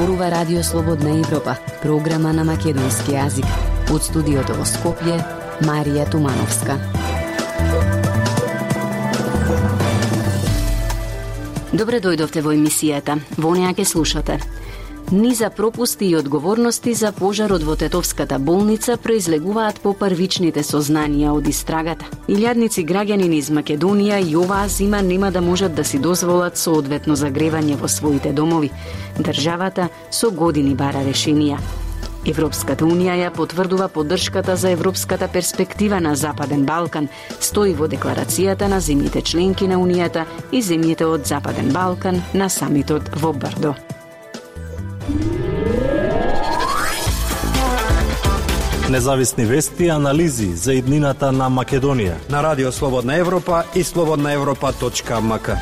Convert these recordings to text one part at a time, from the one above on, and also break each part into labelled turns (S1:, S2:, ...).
S1: зборува Радио Слободна Европа, програма на македонски јазик. Од студиото во Скопје, Марија Тумановска. Добре дојдовте во емисијата. Во неа ќе слушате: низа пропусти и одговорности за пожарот во Тетовската болница произлегуваат по првичните сознанија од истрагата. Илјадници граѓани низ Македонија и оваа зима нема да можат да си дозволат соодветно загревање во своите домови. Државата со години бара решенија. Европската Унија ја потврдува поддршката за европската перспектива на Западен Балкан, стои во декларацијата на земјите членки на Унијата и земјите од Западен Балкан на самитот во Брдо.
S2: Независни вести и анализи за иднината на Македонија
S3: на Радио Слободна Европа и slobodnaevropa.mk.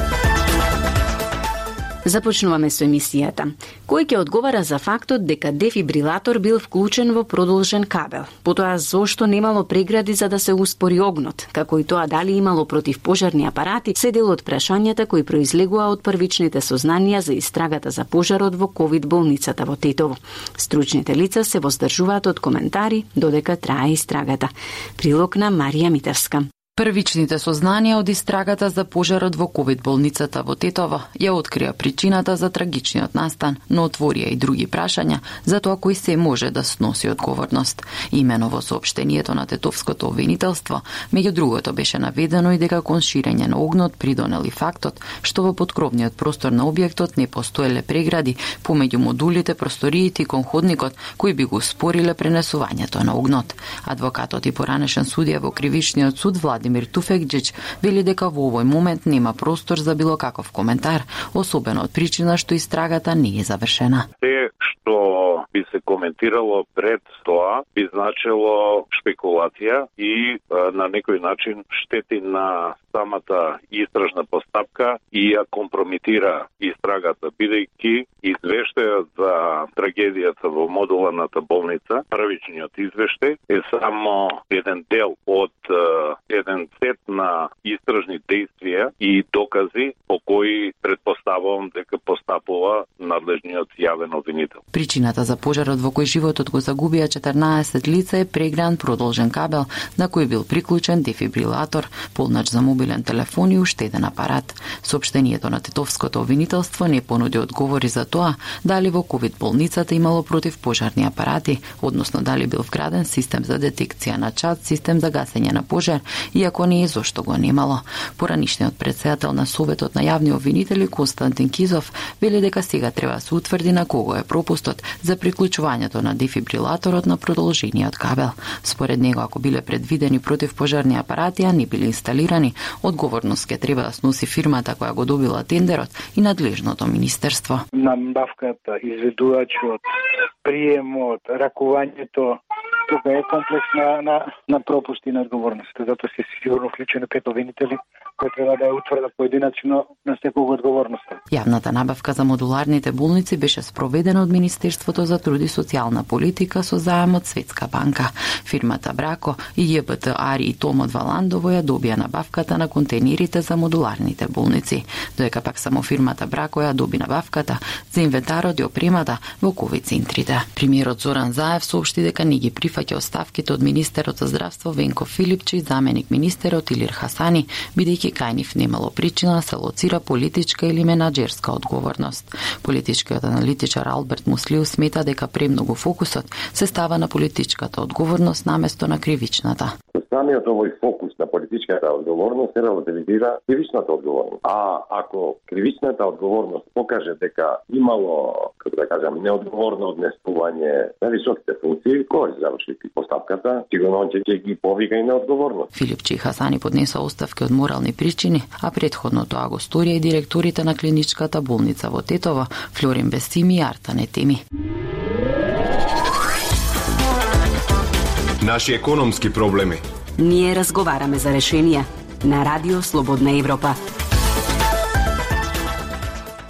S1: Започнуваме со емисијата. Кој ќе одговара за фактот дека дефибрилатор бил вклучен во продолжен кабел? Потоа зошто немало прегради за да се успори огнот? Како и тоа дали имало противпожарни апарати, се дел од прашањата кои произлегува од првичните сознанија за истрагата за пожарот во ковид болницата во Тетово. Стручните лица се воздржуваат од коментари додека трае истрагата. Прилог на Марија Митевска.
S4: Првичните сознанија од истрагата за пожарот во ковид болницата во Тетово ја открија причината за трагичниот настан, но отворија и други прашања за тоа кој се може да сноси одговорност. Имено во соопштението на Тетовското обвинителство, меѓу другото беше наведено и дека кон ширење на огнот придонел и фактот што во поткровниот простор на објектот не постоеле прегради помеѓу модулите, просториите и кон ходникот кои би го спориле пренесувањето на огнот. Адвокатот и поранешен судија во кривичниот суд Владимир Туфекџич вели дека во овој момент нема простор за било каков коментар, особено од причина што истрагата не е завршена.
S5: Се што би се коментирало пред тоа би значило шпекулација и на некој начин штети на самата истражна постапка и ја компромитира истрагата, бидејќи извештајот за трагедијата во модуларната болница, првичниот извештај е само еден дел од еден сет на истражни действија и докази по кои предпоставувам дека постапува надлежниот јавен обвинител.
S4: Причината за пожарот во кој животот го загубија 14 лица е прегран продолжен кабел на кој бил приклучен дефибрилатор, полнач за мобилен телефон и уштеден апарат. Соопштението на Тетовското обвинителство не понуди одговори за тоа дали во ковид болницата имало противпожарни апарати, односно дали бил вграден систем за детекција на чад, систем за гасење на пожар, иако не е зошто го немало. Поранишниот претседател на Советот на јавни обвинители Константин Кизов вели дека сега треба да се утврди на кого е пропустот за приклучувањето на дефибрилаторот на продолжениот кабел. Според него, ако биле предвидени противпожарни апарати, а не били инсталирани, одговорност ќе треба да сноси фирмата која го добила тендерот и надлежното министерство.
S6: Набавката, изведувачот, приемот, ракувањето, тука е комплекс на пропусти на одговорността, затоа се сигурно вклучени 5 обвинители кои треба да ја утврдат поединечно на секоја одговорноста.
S4: Јавната набавка за модуларните болници беше спроведена од Министерството за труд и социјална политика со заем од Светска банка. Фирмата Брако и ЈБТ Ари и Том од Валандово ја добија набавката на контейнерите за модуларните болници, додека пак само фирмата Брако ја доби набавката за инвентарот и опремата во ковид центрите. Премиерот Зоран Заев соопшти дека не ги прифаќа оставките од министерот за здравство Венко Филипчи и заменик министерот Илир Хасани, бидејќи кај нив немало причина да се лоцира политичка или менаџерска одговорност. Политичкиот аналитичар Алберт Муслиу смета дека премногу фокусот се става на политичката одговорност наместо на кривичната.
S7: Самиот овој фокус на политичката одговорност се релативизира кривичната одговорност. А ако кривичната одговорност покаже дека имало, како да кажам, неодговорно однесување на високите функции, кој заврши постапката, сигурно ќе ги повика и неодговорност.
S4: Филипчи и Хасани поднеса оставки од морални причини, а претходно тоа го сторија и директорите на клиничката болница во Тетово, Флорин Бесими и Артане Теми.
S8: Наши економски проблеми.
S1: Ние разговараме за решенија на Радио Слободна Европа.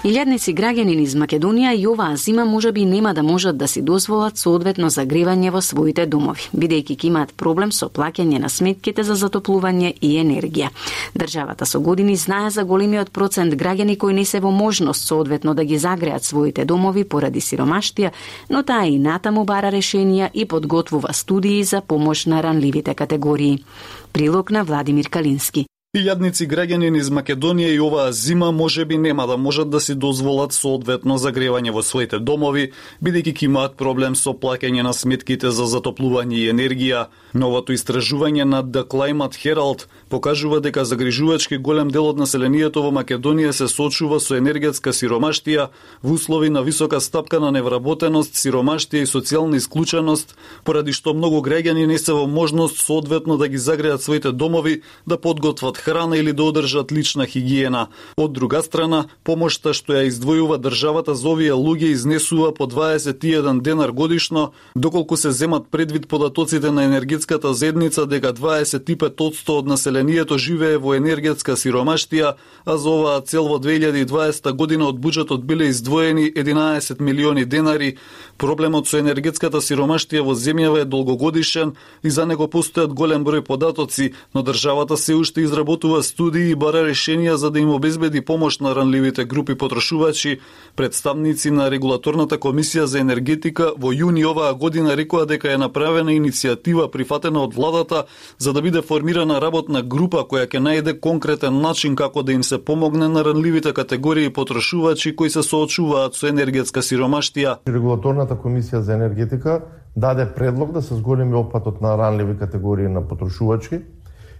S1: Илјадници граѓани низ Македонија и оваа зима можеби нема да можат да си дозволат соодветно загревање во своите домови, бидејќи ќе имаат проблем со плаќање на сметките за затоплување и енергија. Државата со години знае за големиот процент граѓани кои не се во можност соодветно да ги загреат своите домови поради сиромаштија, но таа и натаму бара решенија и подготвува студии за помош на ранливите категории. Прилог на Владимир Калински.
S8: Илјадници граѓани низ Македонија и оваа зима можеби нема да можат да си дозволат соодветно загревање во своите домови, бидејќи ќе имаат проблем со плаќање на сметките за затоплување и енергија. Новото истражување на The Climate Herald покажува дека загрижувачки голем дел од населението во Македонија се соочува со енергетска сиромаштија во услови на висока стапка на невработеност, сиромаштија и социјална исклученост, поради што многу граѓани не се во можност соодветно да ги загреат своите домови, да подготват храна или да одржат лична хигиена. Од друга страна, помошта што ја издвојува државата за овие луѓе изнесува по 21 денар годишно, доколку се земат предвид податоците на енергетската заедница дека 25% од населението живее во енергетска сиромаштија, а за оваа цел во 2020 година од буџетот биле издвоени 11 милиони денари. Проблемот со енергетската сиромаштија во земјава е долгогодишен и за него постојат голем број податоци, но државата се уште изработува студии и бара решенија за да им обезбеди помош на ранливите групи потрошувачи. Представници на Регулаторната комисија за енергетика во јуни оваа година рекоа дека е направена иницијатива прифатена од владата за да биде формирана работна група која ќе најде конкретен начин како да им се помогне на ранливите категории потрошувачи кои се соочуваат со енергетска сиромаштија.
S9: Регулаторната комисија за енергетика даде предлог да се зголеми опфатот на ранливи категории на потрошувачи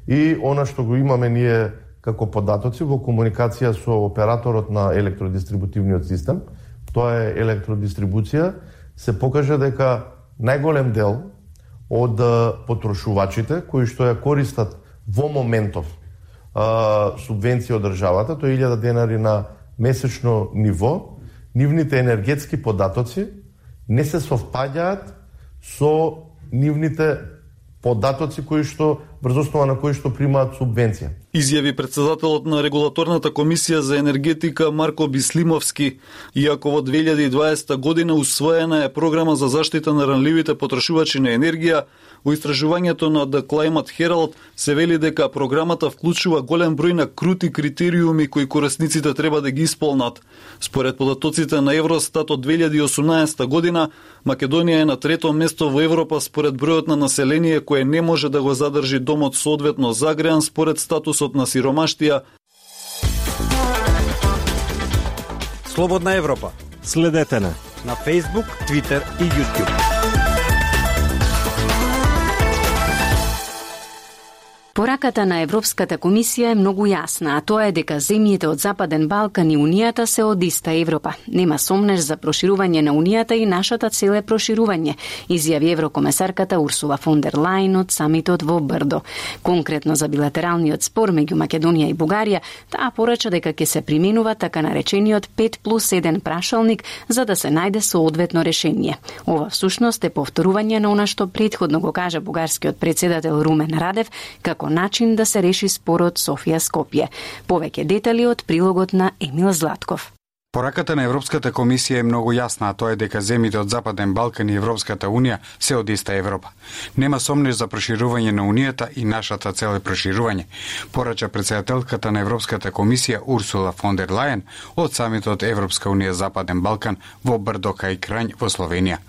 S9: и она што го имаме ние како податоци во комуникација со операторот на електродистрибутивниот систем, тоа е електродистрибуција, се покажа дека најголем дел од потрошувачите кои што ја користат во моментов субвенција од државата, тоа е 1000 денари на месечно ниво, нивните енергетски податоци не се совпаѓаат со нивните податоци кои што врз основа на кои што примаат субвенција.
S8: Изјави председателот на Регулаторната комисија за енергетика Марко Бислимовски. Иако во 2020 година усвоена е програма за заштита на ранливите потрошувачи на енергија, во истражувањето на The Climate Herald се вели дека програмата вклучува голем број на крути критериуми кои корисниците треба да ги исполнат. Според податоците на Евростат од 2018 година, Македонија е на трето место во Европа според бројот на население кое не може да го задржи домот соодветно загреан според статусот на сиромаштија.
S3: Слободна Европа.
S2: Следете на
S3: Facebook, Twitter и YouTube.
S1: Пораката на Европската комисија е многу јасна, а тоа е дека земјите од Западен Балкан и Унијата се од иста Европа. Нема сомнеш за проширување на Унијата и нашата цел е проширување, изјави еврокомесарката Урсула фон дер Лајен од самитот во Брдо. Конкретно за билатералниот спор меѓу Македонија и Бугарија, таа порача дека ќе се применува така наречениот 5+1 прашалник за да се најде соодветно решение. Ова всушност е повторување на она што претходно го кажа бугарскиот председател Румен Радев како начин да се реши спорот Софија-Скопје. Повеќе детали од прилогот на Емил Златков.
S10: Пораката на Европската комисија е многу јасна, а тоа е дека земјите од Западен Балкан и Европската Унија се од иста Европа. Нема сомнеш за проширување на Унијата и нашата цел е проширување, порача председателката на Европската комисија Урсула фон дер Лајен од самитот Европска Унија Западен Балкан во Брдо кај Крањ во Словенија.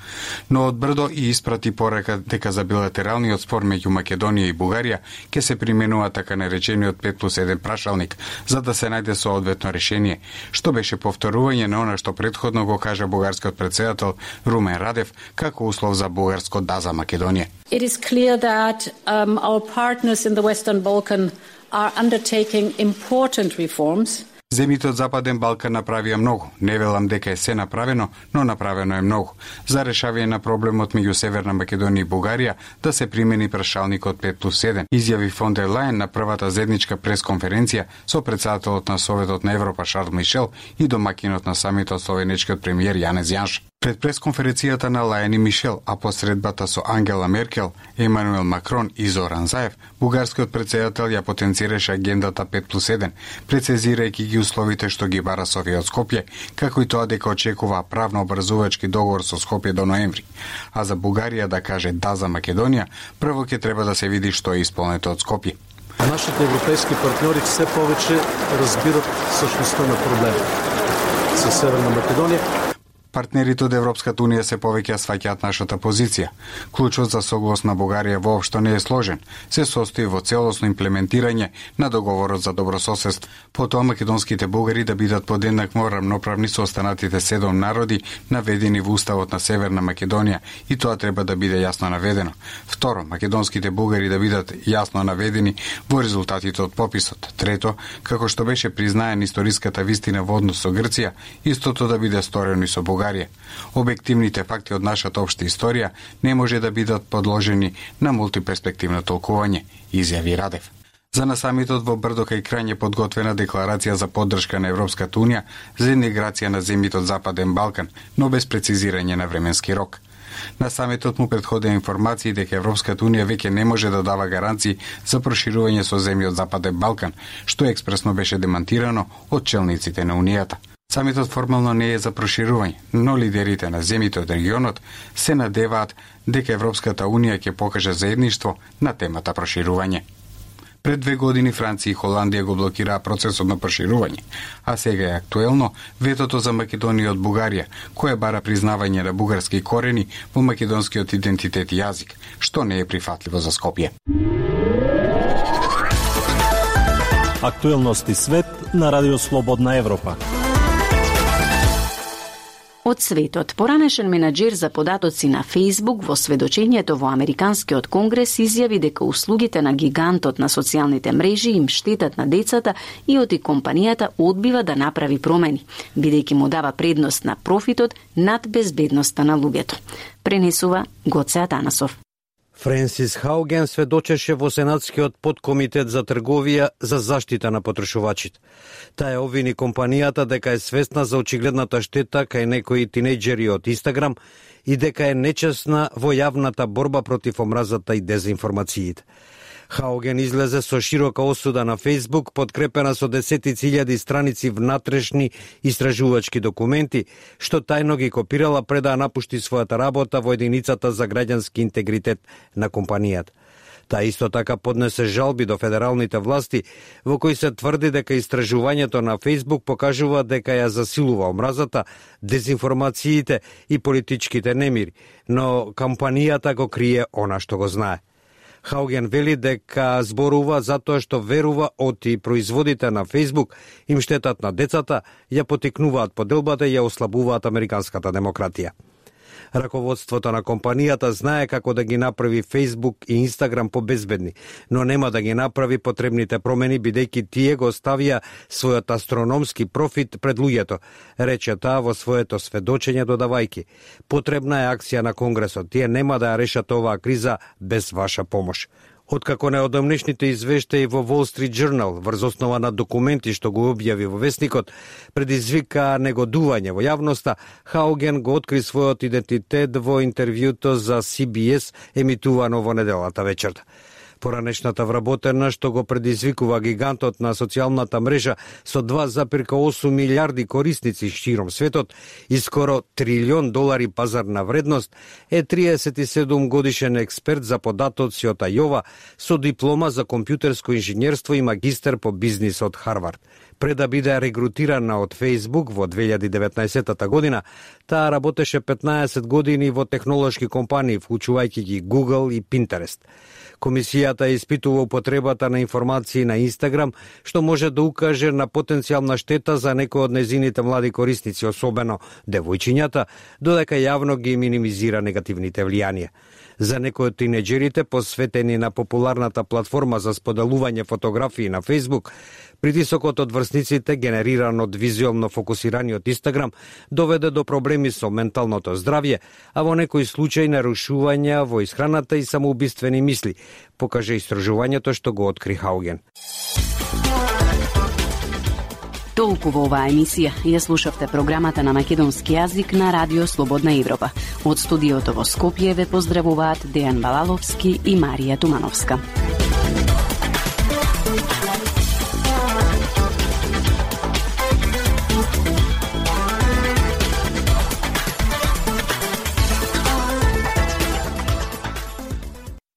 S10: Но од Брдо и испрати порака дека за билатералниот спор меѓу Македонија и Бугарија ќе се применува така наречениот 5+1 прашалник за да се најде соодветно решение, што беше повторување на она што претходно го кажа бугарскиот председател Румен Радев како услов за бугарско да за Македонија.
S11: It is clear that our partners in the Western Balkan are undertaking important reforms.
S10: Земјите од Западен Балкан направија многу. Не велам дека е се направено, но направено е многу. За решавање на проблемот меѓу Северна Македонија и Бугарија да се примени прашалникот 5+1, изјави фон дер Лајен на првата заедничка пресконференција со председателот на Советот на Европа Шарл Мишел и домакинот на самитот словенечкиот премиер Јанез Јанш. Пред пресконференцијата на Лајани Мишел, а посредбата со Ангела Меркел, Емануел Макрон и Зоран Заев, бугарскиот претседател ја потенцираше агендата 5+1, прецизирајќи ги условите што ги бара Софија од Скопје, како и тоа дека очекува правно образувачки договор со Скопје до ноември. А за Бугарија да каже да за Македонија, прво ќе треба да се види што е исполнето од Скопје.
S2: Нашите европейски партньори все повече разбират същността на проблема со Северна Македонија.
S10: Партнерите од Европската Унија се повеќе сваќаат нашата позиција. Клучот за соглас на Бугарија воопшто не е сложен. Се состои во целосно имплементирање на договорот за добрососедство. Потоа македонските бугари да бидат подеднакво рамноправни со останатите 7 народи наведени во уставот на Северна Македонија и тоа треба да биде јасно наведено. Второ, македонските бугари да бидат јасно наведени во резултатите од пописот. Трето, како што беше признаен историската вистина во однос со Грција, истото да биде сторено и со Бугарија. Објективните факти од нашата општа историја не може да бидат подложени на мултиперспективно толкување, изјави Радев. За на самитот во Брдо кај крај е подготвена декларација за поддршка на Европската Унија за интеграција на земјите од Западен Балкан, но без прецизирање на временски рок. На самитот му претходеа информации дека Европската Унија веќе не може да дава гаранции за проширување со земји од Западен Балкан, што експресно беше демантирано од челниците на Унијата. Самитот формално не е за проширување, но лидерите на земјите од регионот се надеваат дека Европската Унија ќе покаже заедништво на темата проширување. Пред 2 години Франција и Холандија го блокираа процесот на проширување, а сега е актуелно ветото за Македонија од Бугарија, која бара признавање на бугарски корени во македонскиот идентитет и јазик, што не е прифатливо за Скопје.
S2: Актуелности свет на Радио Слободна Европа.
S1: Од светот, поранешен менаџер за податоци на Facebook во сведочењето во Американскиот конгрес изјави дека услугите на гигантот на социјалните мрежи им штетат на децата и оти компанијата одбива да направи промени, бидејќи му дава предност на профитот над безбедноста на луѓето. Пренесува Гоце Атанасов.
S3: Френсис Хауген сведочеше во Сенатскиот подкомитет за трговија за заштита на потрошувачите. Таа обвини компанијата дека е свесна за очигледната штета кај некои тинејџери од Инстаграм и дека е нечесна во јавната борба против омразата и дезинформациите. Хауген излезе со широка осуда на Facebook, подкрепена со десетици илјади страници внатрешни истражувачки документи, што тајно ги копирала пред да напушти својата работа во единицата за граѓански интегритет на компанијата. Таа исто така поднесе жалби до федералните власти, во кои се тврди дека истражувањето на Facebook покажува дека ја засилува омразата, дезинформациите и политичките немири, но компанијата го крие она што го знае. Хауген вели дека зборува затоа што верува оти производите на Facebook им штетат на децата, ја потикнуваат поделбата и ја ослабуваат американската демократија. Раководството на компанијата знае како да ги направи Facebook и Instagram побезбедни, но нема да ги направи потребните промени бидејќи тие го ставија својот астрономски профит пред луѓето, рече таа во своето сведочење додавајќи: потребна е акција на Конгресот, тие нема да ја решат оваа криза без ваша помош. Откако неодамнешните извештаи во Wall Street Journal врз основа на документи што го објави во весникот предизвика негодување во јавноста, Хауген го откри својот идентитет во интервјуто за CBS емитувано во неделата вечерта. Поранешната вработена што го предизвикува гигантот на социјалната мрежа со 2,8 милиарди корисници широм светот и скоро $1 трилион пазарна вредност, е 37 годишен експерт за податоци од Ајова со диплома за компјутерско инженерство и магистер по бизнис од Харвард. Пред да биде регрутирана од Facebook во 2019 година, таа работеше 15 години во технолошки компании, вклучувајќи ги Google и Pinterest. Комисијата испитува употребата на информации на Инстаграм, што може да укаже на потенцијална штета за некои од незините млади корисници, особено девојчињата, додека јавно ги минимизира негативните влијанија. За некои од тинеџерите, посветени на популарната платформа за споделување фотографии на Facebook, притисокот од врсниците, генериран од визуелно фокусираниот Инстаграм, доведе до проблеми со менталното здравје, а во некои случаи нарушувања во исхраната и самоубиствени мисли, покаже истражувањето што го откри Хауген.
S1: Толку во оваа емисија. Ја слушавте програмата на македонски јазик на Радио Слободна Европа. Од студиото во Скопје ве поздравуваат Дејан Балаловски и Марија Тумановска.